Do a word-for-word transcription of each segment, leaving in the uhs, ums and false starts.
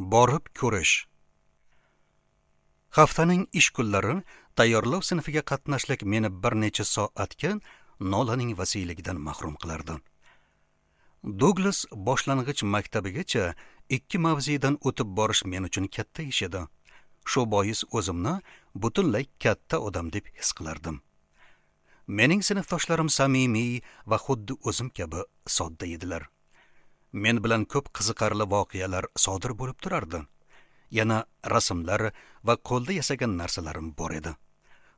Borib ko'rish. Haftaning ish kunlari tayyorlov sinfiga qatnashlik meni bir necha soatga Nolaning vasiyligidan mahrum qilardi. Douglas boshlang'ich maktabigacha ikki mavzedan o'tib borish men uchun katta ish edi. Shu bois o'zimni butunlay katta odam deb his qilardim. Mening sinfdoshlarim samimiy va xuddi o'zim kabi sodda edilar. Men bilan ko'p qiziqarli voqealar sodir bo'lib turardi. Yana rasmlar va qo'lda yasagan narsalarim bor edi.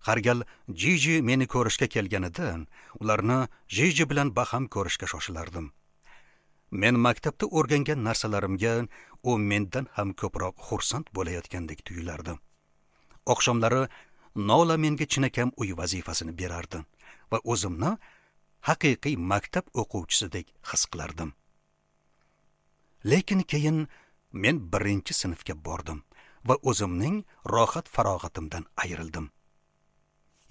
Har gal Jiji meni ko'rishga kelganida, ularni Jiji bilan baham ko'rishga shoshilardim. Men maktabda o'rgangan narsalarimga u mendan ham ko'proq xursand bo'layotgandek tuyulardi. Oqshomlari Nola menga chinakam uy vazifasini berardi va o'zimni haqiqiy maktab o'quvchisidek his qilardim. Lekin keyin men birinchi sinfga bordim va o'zimning rohat farog'atimdan ayrildim.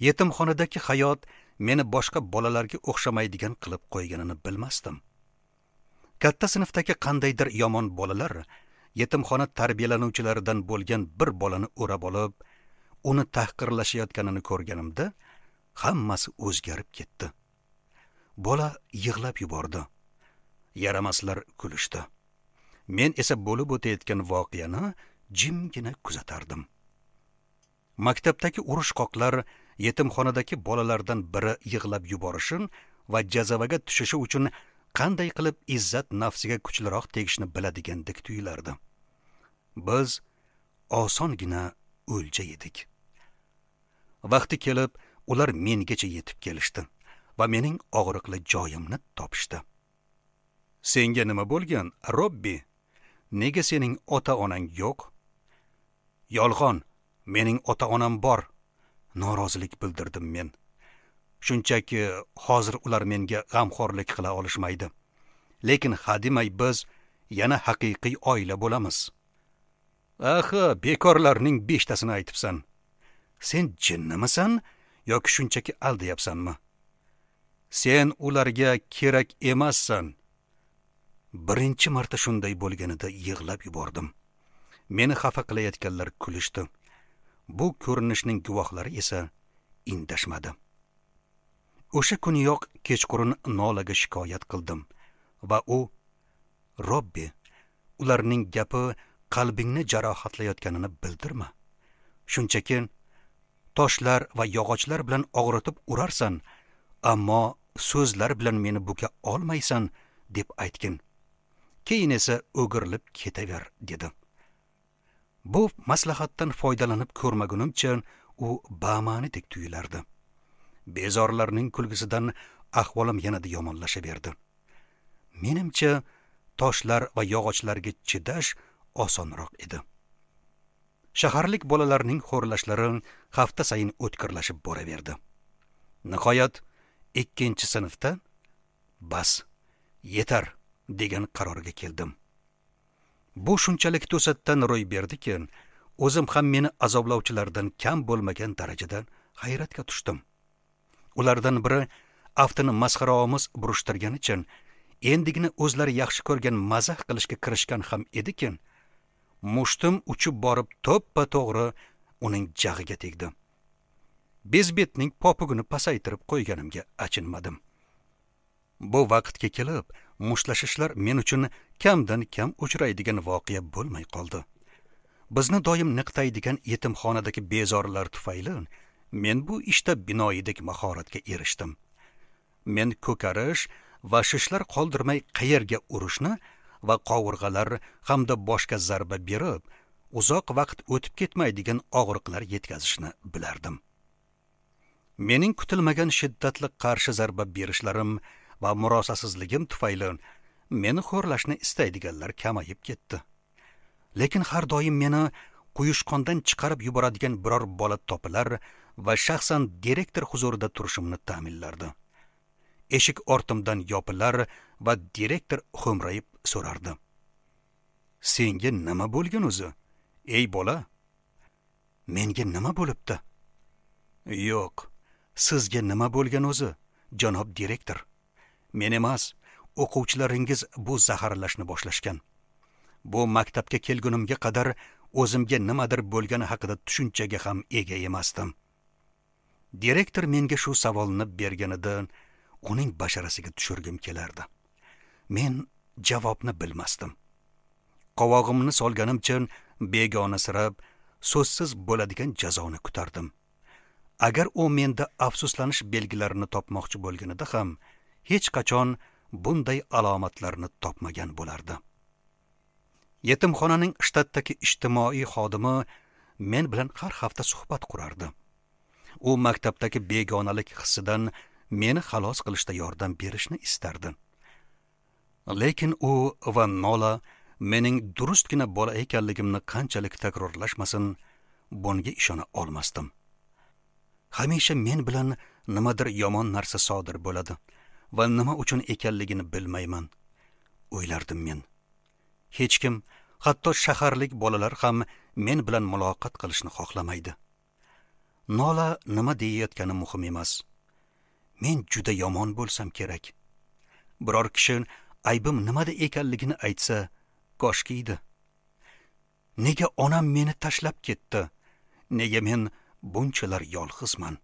Yetimxonadagi hayot meni boshqa bolalarga o'xshamaydigan qilib qo'yganini bilmasdim. Katta sinfdagi qandaydir yomon bolalar yetimxona tarbiyalanuvchilaridan bo'lgan bir bolani o'rab olib, uni tahqirlashayotganini ko'rganimda hammasi o'zgarib ketdi. Bola yig'lab yubordi. Yaramaslar kulishdi. Men esa bo'lib o'tayotgan voqeani jimgina kuzatardim. Maktabdagi urushqoqlar yetimxonadagi bolalardan biri yig'lab yuborishin va jazavaga tushishi uchun qanday qilib izzat nafsiga kuchliroq tegishni biladigandek tuyulardi. Biz osongina o'lja edik. Vaqti kelib, ular mengacha yetib kelishdi va mening og'riqli joyimni topishdi. Senga nima bo'lgan, Robbi? Nega sening ota-onang yo'q? Yolg'on, mening ota-onam bor, norozilik bildirdim men. Shunchaki hozir ular menga g'amxo'rlik qila olishmaydi. Lekin hademay biz yana haqiqiy oila bo'lamiz. Axi, bekorlarning beshtasini aytibsan. Sen jinnimisan yoki shunchaki aldayapsanmi? Sen ularga kerak emassan. Birinchi marta shunday bo'lganida yig'lab yubordim. Meni xafa qilayotganlar kulishdi. Bu ko'rinishning guvohlari esa indashmadi. O'sha kuniyoq kechqurun Nolaga shikoyat qildim va u Robbi, ularning gapi qalbingni jarohatlayotganini bildirma. Shunchaki toshlar va yog'ochlar bilan og'ritib urarsan, ammo so'zlar bilan meni buka olmaysan deb aytgin. Keyin esa o'girilib ketaver dedi. Bu maslahatdan foydalanib ko'rmagunimcha u ba'ma'nidek tuyulardi. Bezorlarning kulgisidan ahvolim yanada yomonlashaverdi. Menimcha, toshlar va yog'ochlarga chidash osonroq edi. Shaharlik bolalarning xo'rlashlari hafta sayin o'tkirlashib boraverdi. Nihoyat ikkinchi sinfda bas, yetar degan qarorga keldim. Bu shunchalik to'satdan ro'y berdiki, o'zim ham meni azoblovchilardan kam bo'lmagan darajada hayratga tushdim. Ulardan biri aftini masxaraomuz burishtirganicha endigina o'zlari yaxshi ko'rgan mazax qilishga kirishgan ham ediki, mushtim uchib borib to'ppa-to'g'ri uning jag'iga tegdi. Bezbetning popugini pasaytirib qo'yganimga achinmadim. Bu vaqtga kelib mushlashishlar men uchun kamdan kam uchraydigan voqea bo'lmay qoldi. Bizni doim niqtaydigan yetimxonadagi bezorilar tufayli men bu ishda binoyidek mahoratga erishdim. Men ko'karish va shishlar qoldirmay qayerga urishni va qovurg'alar hamda boshga zarba berib, uzoq vaqt o'tib ketmaydigan og'riqlar yetkazishni bilardim. Mening kutilmagan shiddatli qarshi zarba berishlarim va murosasizligim tufayli meni xo'rlashni istaydiganlar kamayib ketdi. Lekin har doim meni quyushqondan chiqarib yuboradigan biror bola topilar va shaxsan direktor huzurida turishimni ta'minlardi. Eshik ortimdan yopilar va direktor xo'mrayib so'rardi. Senga nima bo'lgan o'zi, ey bola? Menga nima bo'libdi? Yo'q, sizga nima bo'lgan o'zi, janob direktor? Men emas, o'quvchilaringiz bu zaharlashni boshlashgan. Bu maktabga kelgunimga qadar o'zimga nimadir bo'lgani haqida tushunchaga ham ega emasdim. Direktor menga shu savolni berganida uning basharasiga tushirgim kelardi. Men javobni bilmasdim. Qovog'imni solganimcha begonasirab, so'zsiz bo'ladigan jazoni kutardim. Agar u menda afsuslanish belgilarini topmoqchi bo'lganida ham hech qachon bunday alomatlarni topmagan bo'lardi. Yetimxonaning shtatdagi ijtimoiy xodimi men bilan har hafta suhbat qurardi. U maktabdagi begonalik hissidan meni xalos qilishda yordam berishni istardi. Lekin u va Nola mening durustgina bola ekanligimni qanchalik takrorlashmasin, bunga ishona olmasdim. Hamisha men bilan nimadir yomon narsa sodir bo'ladi va nima uchun ekanligini bilmayman, o'ylardim men. Hech kim, hatto shaharlik bolalar ham men bilan muloqot qilishni xohlamaydi. Nola nima deyayotgani muhim emas. Men juda yomon bo'lsam kerak. Biror kishi aybim nimada ekanligini aytsa, koshki edi. Nega onam meni tashlab ketdi? Nega men bunchalar yolg'izman?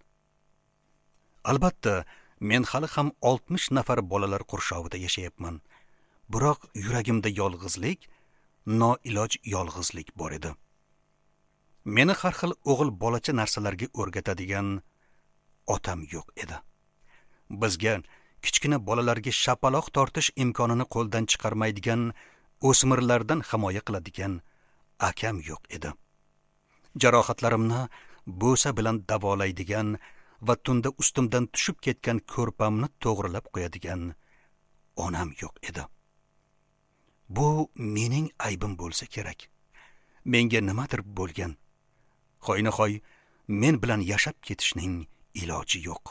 Albatta, men hali ham oltmish nafar bolalar qurshovida yashayapman. Biroq yuragimda yolg'izlik, noiloj yolg'izlik bor edi. Meni har xil o'g'il bolacha narsalarga o'rgatadigan otam yo'q edi. Bizga, kichkina bolalarga shapaloq tortish imkonini qo'ldan chiqarmaydigan o'smirlardan himoya qiladigan akam yo'q edi. Jarohatlarimni bo'sa bilan davolaydigan va tunda ustimdan tushib ketgan ko'rpamni to'g'rilab qo'yadigan onam yo'q edi. Bu mening aybim bo'lsa kerak. Menga nimadir bo'lgan. Hoynahoy men bilan yashab ketishning iloji yo'q.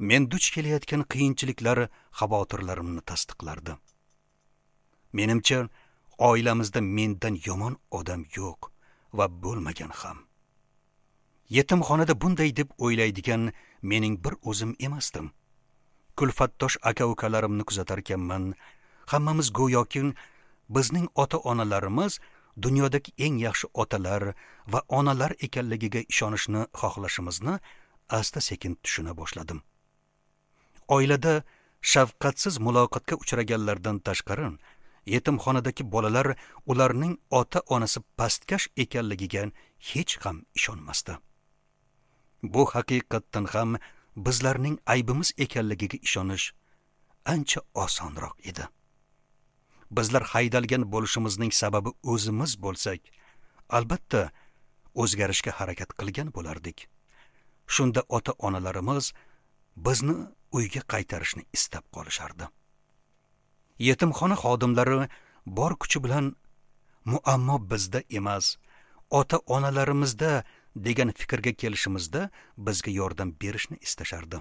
Men duch kelayotgan qiyinchiliklar xavotirlarimni tasdiqlardi. Menimcha, oilamizda mendan yomon odam yo'q va bo'lmagan ham. Yetimxonada bunday deb o'ylaydigan mening bir o'zim emasdim. Kulfatdosh aka-ukalarimni kuzatarkanman, hammamiz go'yoki bizning ota-onalarimiz dunyodagi eng yaxshi otalar va onalar ekanligiga ishonishni xohlashimizni asta-sekin tushuna boshladim. Oilada shafqatsiz muloqotga uchraganlardan tashqari, yetimxonadagi bolalar ularning ota-onasi pastkash ekanligiga hech ham ishonmasdi. Bu haqiqatdan ham bizlarning aybimiz ekanligiga ishonish ancha osonroq edi. Bizlar haydalgan bo'lishimizning sababi o'zimiz bo'lsak, albatta o'zgarishga harakat qilgan bo'lardik. Shunda ota-onalarimiz bizni uyga qaytarishni istab qolishardi. Yetimxona xodimlari bor kuchi bilan muammo bizda emas, ota-onalarimizda degan fikrga kelishimizda bizga yordam berishni istashardi.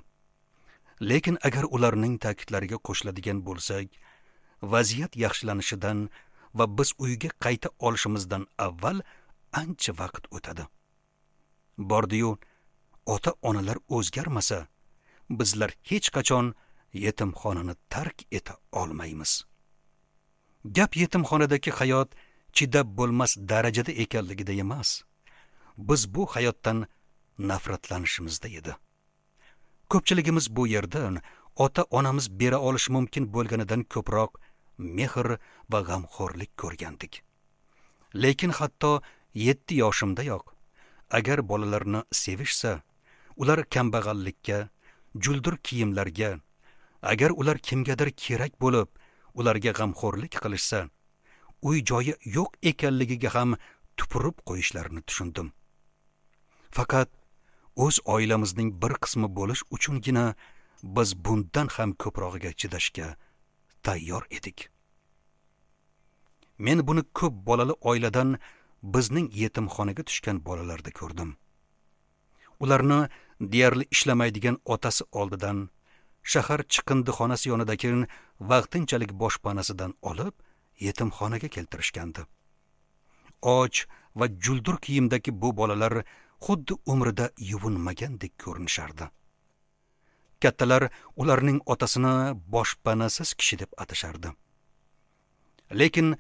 Lekin agar ularning ta'kidlariga qo'shiladigan bo'lsak, vaziyat yaxshilanishidan va biz uyga qayta olishimizdan avval ancha vaqt o'tadi. Bordi-yu, ota-onalar o'zgarmasa, bizlar hech qachon yetimxonani tark eta olmaymiz. Gap yetimxonadagi hayot chidab bo'lmas darajada ekanligida emas. Biz bu hayotdan nafratlanishimizda edi. Ko'pchiligimiz bu yerdan ota-onamiz bera olish mumkin bo'lganidan ko'proq mehr va g'amxo'rlik ko'rgandik. Lekin hatto yetti yoshimdayoq agar bolalarni sevishsa, ular kambag'allikka, juldur kiyimlarga, agar ular kimgadir kerak bo'lib, ularga g'amxo'rlik qilishsa, uy joyi yo'q ekanligiga ham tupurib qo'yishlarini tushundim. Faqat o'z oilamizning bir qismi bo'lish uchungina biz bundan ham ko'prog'iga chidashga tayyor edik. Men buni ko'p bolali oiladan bizning yetimxonaga tushgan bolalarda ko'rdim. Ularni deyarli ishlamaydigan otasi oldidan, shahar chiqindixonasi yonidagi vaqtinchalik boshpanasidan olib yetimxonaga keltirishgandi. Och va juldur kiyimdagi bu bolalar xuddi umrida yuvinmagandek ko'rinishardi. Kattalar ularning otasini boshpanasiz kishi deb atashardi. Lekin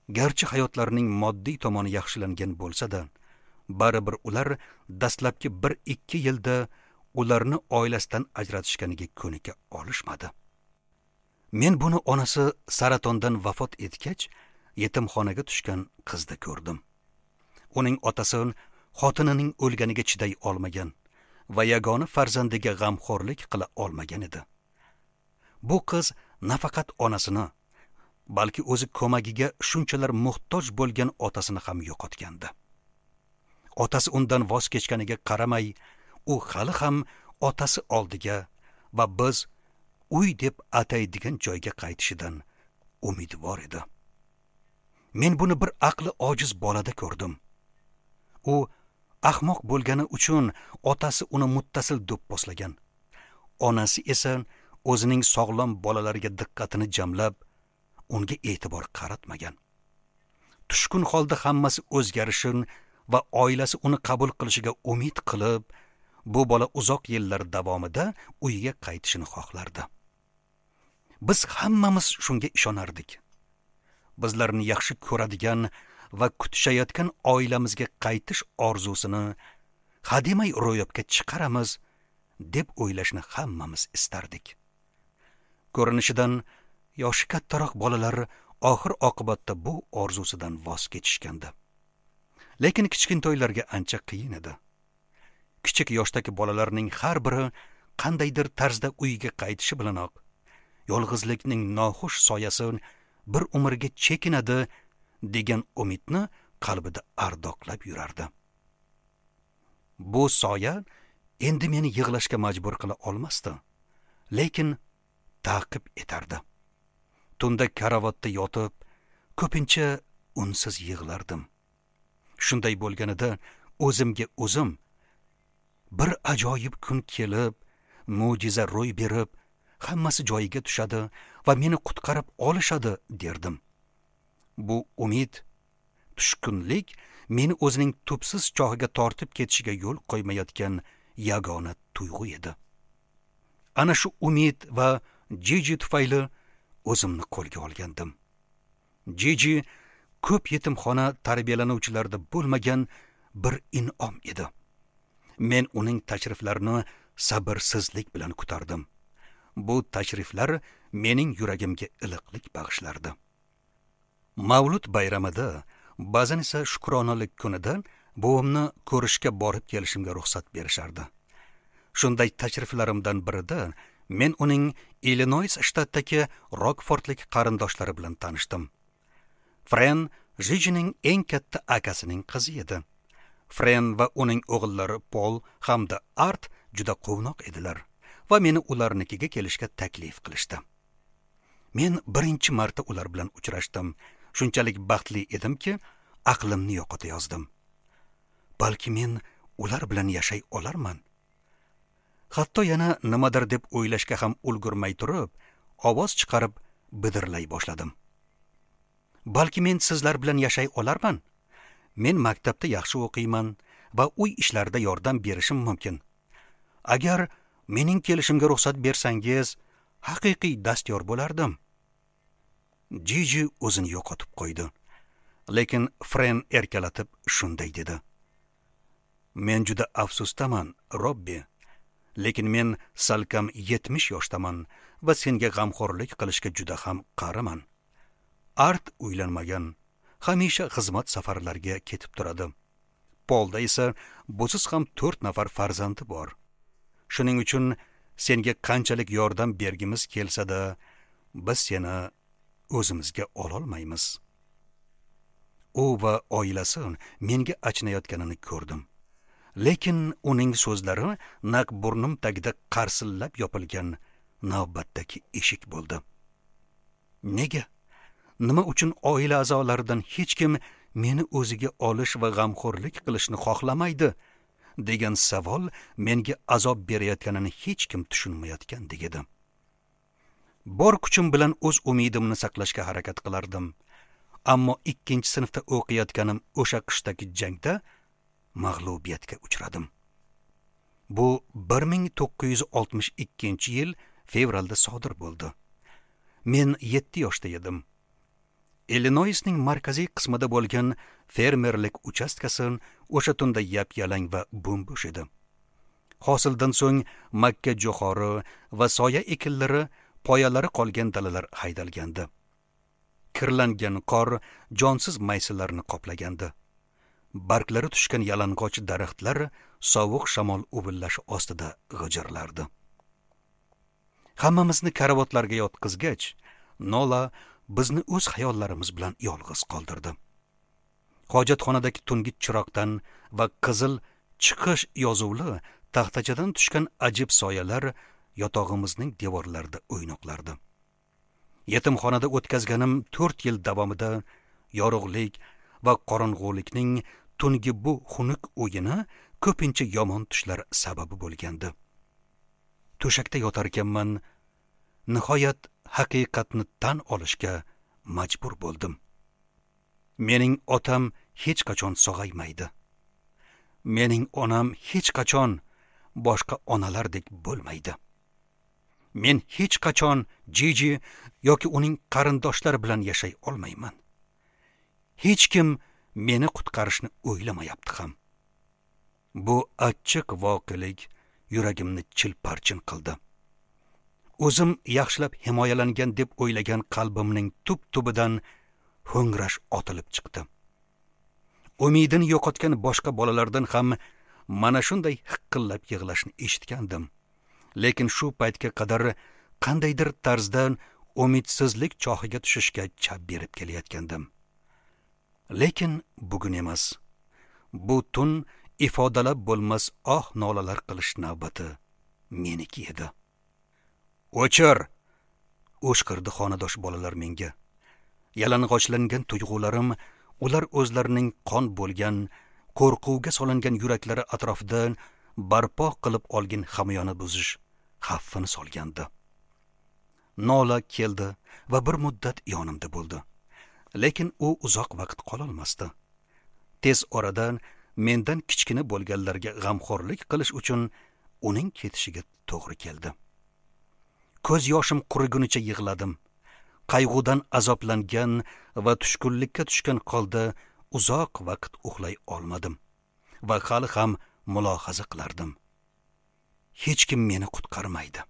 Garchi hayotlarining moddiy tomoni yaxshilangan bo'lsa-da, baribir ular dastlabki bir ikki yilda ularni oilasidan ajratishganiga ko'nika olishmadi. Men buni onasi saratondan vafot etgach, yetimxonaga tushgan qizda ko'rdim. Uning otasi xotinining o'lganiga chiday olmagan va yagona farzandiga g'amxo'rlik qila olmagan edi. Bu qiz nafaqat onasini, balki o'zi ko'magiga shunchalar muhtoj bo'lgan otasini ham yo'qotgandi. Otasi undan voz kechganiga qaramay, u hali ham otasi oldiga va biz uy deb ataydigan joyga qaytishidan umidvor edi. Men buni bir aqli ojiz bolada ko'rdim. U ahmoq bo'lgani uchun otasi uni muttasil do'pposlagan. Onasi esa o'zining sog'lom bolalariga diqqatini jamlab, unga e'tibor qaratmagan. Tushkun holda hammasi o'zgarishini va oilasi uni qabul qilishiga umid qilib, bu bola uzoq yillar davomida uyiga qaytishini xohlardi. Biz hammamiz shunga ishonardik. Bizlarni yaxshi ko'radigan va kutishayotgan oilamizga qaytish orzusini hademay ro'yobga chiqaramiz deb o'ylashni hammamiz istardik. Ko'rinishidan yoshi kattaroq bolalar oxir oqibatda bu orzusidan voz kechishgandi. Lekin kichkintoylarga ancha qiyin edi. Kichik yoshdagi bolalarning har biri qandaydir tarzda uyiga qaytishi bilanoq yolg'izlikning noxush soyasi bir umrga chekinadi degan umidni qalbida ardoqlab yurardi. Bu soya endi meni yig'lashga majbur qila olmasdi, lekin ta'qib etardi. Tunda karavotda yotib, ko'pincha unsiz yig'lardim. Shunday bo'lganida o'zimga o'zim bir ajoyib kun kelib, mo'jiza ro'y berib, hammasi joyiga tushadi va meni qutqarib olishadi derdim. Bu umid, tushkunlik meni o'zining tubsiz chohiga tortib ketishiga yo'l qo'ymayotgan yagona tuyg'u edi. Ana shu umid va Jiji tufayli o'zimni qo'lga olgandim. Jiji ko'p yetimxona tarbiyalanuvchilarda bo'lmagan bir in'om edi. Men uning tashriflarini sabrsizlik bilan kutardim. Bu tashriflar mening yuragimga iliqlik bag'ishlardi. Mavlud bayramida, ba'zan esa shukronalik kunida buvimni ko'rishga borib kelishimga ruxsat berishardi. Shunday tashriflarimdan birida men uning Illinois shtatidagi Rokfordlik qarindoshlari bilan tanishdim. Fren Jijining eng katta akasining qizi edi. Fren va uning o'g'illari Pol hamda Art juda quvnoq edilar va meni ularnikiga kelishga taklif qilishdi. Men birinchi marta ular bilan uchrashdim. Shunchalik baxtli edimki, aqlimni yo'qota yozdim. Balki men ular bilan yashay olarman. Hatto yana nimadir deb o'ylashga ham ulgurmay turib, ovoz chiqarib bidirlay boshladim. Balki men sizlar bilan yashay olarman. Men maktabda yaxshi o'qiyman va uy ishlarida yordam berishim mumkin. Agar mening kelishimga ruxsat bersangiz, haqiqiy dastyor bo'lardim. Jiji o'zini yo'qotib qo'ydi. Lekin Fren erkalatib shunday dedi: Men juda afsusdaman, Robbi. Lekin men salkam yetmish yoshdaman va senga g'amxo'rlik qilishga juda ham qariman. Art uylanmagan, hamisha xizmat safarlariga ketib turadi. Polda esa busiz ham to'rt nafar farzandi bor. Shuning uchun senga qanchalik yordam bergimiz kelsa-da, biz seni o'zimizga ololmaymiz. U va oilasi menga achinayotganini ko'rdim. Lekin uning so'zlari naq burnim tagida qarsillab yopilgan navbatdagi eshik bo'ldi. Nega? Nima uchun oila a'zolaridan hech kim meni o'ziga olish va g'amxo'rlik qilishni xohlamaydi degan savol menga azob berayotganini hech kim tushunmayotgandek edi. Bor kuchim bilan o'z umidimni saqlashga harakat qilardim. Ammo ikkinchi sinfda o'qiyotganim o'sha qishdagi jangda mag'lubiyatga uchradim. Bu bir ming to'qqiz yuz oltmish ikkinchi yil fevralda sodir bo'ldi. Men yetti yoshda edim. Illinoisning markaziy qismida bo'lgan fermerlik uchastkasi o'sha tunda yap-yalang va bo'm-bo'sh edi. Hosildan so'ng makka jo'xori va soya ekinlari poyalari qolgan dalalar haydalgandi. Kirlangan qor jonsiz maysalarni qoplagandi. Barglari tushgan yalang'och daraxtlar sovuq shamol uvillashi ostida g'ijirlardi. Hammamizni karavotlarga yotqizgach, Nola bizni o'z xayollarimiz bilan yolg'iz qoldirdi. Hojatxonadagi tungi chiroqdan va qizil chiqish yozuvli taxtachadan tushgan ajib soyalar yotog'imizning devorlarida o'ynoqlardi. Yetimxonada o'tkazganim to'rt yil davomida yorug'lik va qorong'ulikning tungi bu xunuk o'yini ko'pincha yomon tushlar sababi bo'lgandi. To'shakda yotarkanman, nihoyat haqiqatni tan olishga majbur bo'ldim. Mening otam hech qachon sog'aymaydi. Mening onam hech qachon boshqa onalardek bo'lmaydi. Men hech qachon Jiji yoki uning qarindoshlari bilan yashay olmayman. Hech kim meni qutqarishni o'ylamayapti ham. Bu achchiq voqelik yuragimni chilparchin qildi. O'zim yaxshilab himoyalangan deb o'ylagan qalbimning tub-tubidan ho'ngrash otilib chiqdi. Umidini yo'qotgan boshqa bolalardan ham mana shunday hiqillab yig'lashni eshitgandim. Lekin shu paytga qadar qandaydir tarzda umidsizlik chohiga tushishga chap berib kelayotgandim. Lekin bugun emas. Bu tun ifodalab bo'lmas oh nolalar qilish navbati meniki edi. "O'chir!" o'shqirdi xonadosh bolalar menga. Yalang'ochlangan tuyg'ularim ular o'zlarining qon bo'lgan, qo'rquvga solingan yuraklari atrofida barpo qilib olgan hamyoni buzish xavfini solgandi. Nola keldi va bir muddat yonimda bo'ldi. Lekin u uzoq vaqt qololmasdi. Tez orada mendan kichkina bo'lganlarga g'amxo'rlik qilish uchun uning ketishiga to'g'ri keldi. Ko'z yoshim qurigunicha yig'ladim. Qayg'udan azoblangan va tushkunlikka tushgan holda uzoq vaqt uxlay olmadim va hali ham mulohaza qilardim. Hech kim meni qutqarmaydi.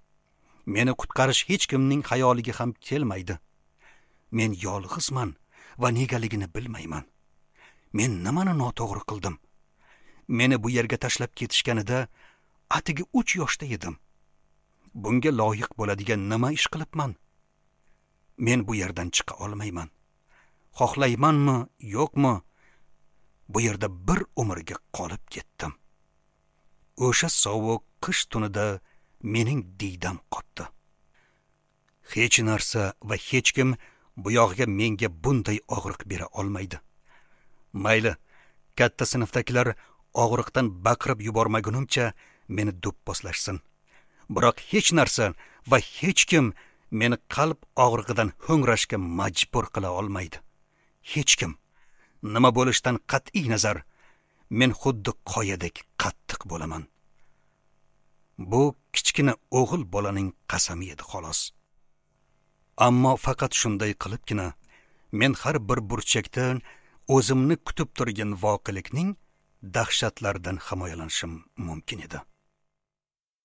Meni qutqarish hech kimning xayoliga ham kelmaydi. Men yolg'izman va negaligini bilmayman. Men nimani noto'g'ri qildim? Meni bu yerga tashlab ketishganida atigi uch yoshda edim. Bunga loyiq bo'ladigan nima ish qilibman? Men bu yerdan chiqa olmayman. Xohlaymanmi, yo'qmi? Bu yerda bir umrga qolib ketdim. O'sha sovuq qish tunida mening diydam qotdi. Hech narsa va hech kim bu yog'iga menga bunday og'riq bera olmaydi. Mayli, katta sinfdagilar og'riqdan baqirib yubormagunimcha meni do'pposlashsin. Biroq hech narsa va hech kim meni qalb og'rig'idan ho'ngrashga majbur qila olmaydi. Hech kim. Nima bo'lishidan qat'iy nazar, men xuddi qoyadek qattiq bo'laman. Bu kichkina o'g'il bolaning qasami edi xolos. Ammo faqat shunday qilibgina men har bir burchakda o'zimni kutib turgan voqelikning dahshatlaridan himoyalanishim mumkin edi.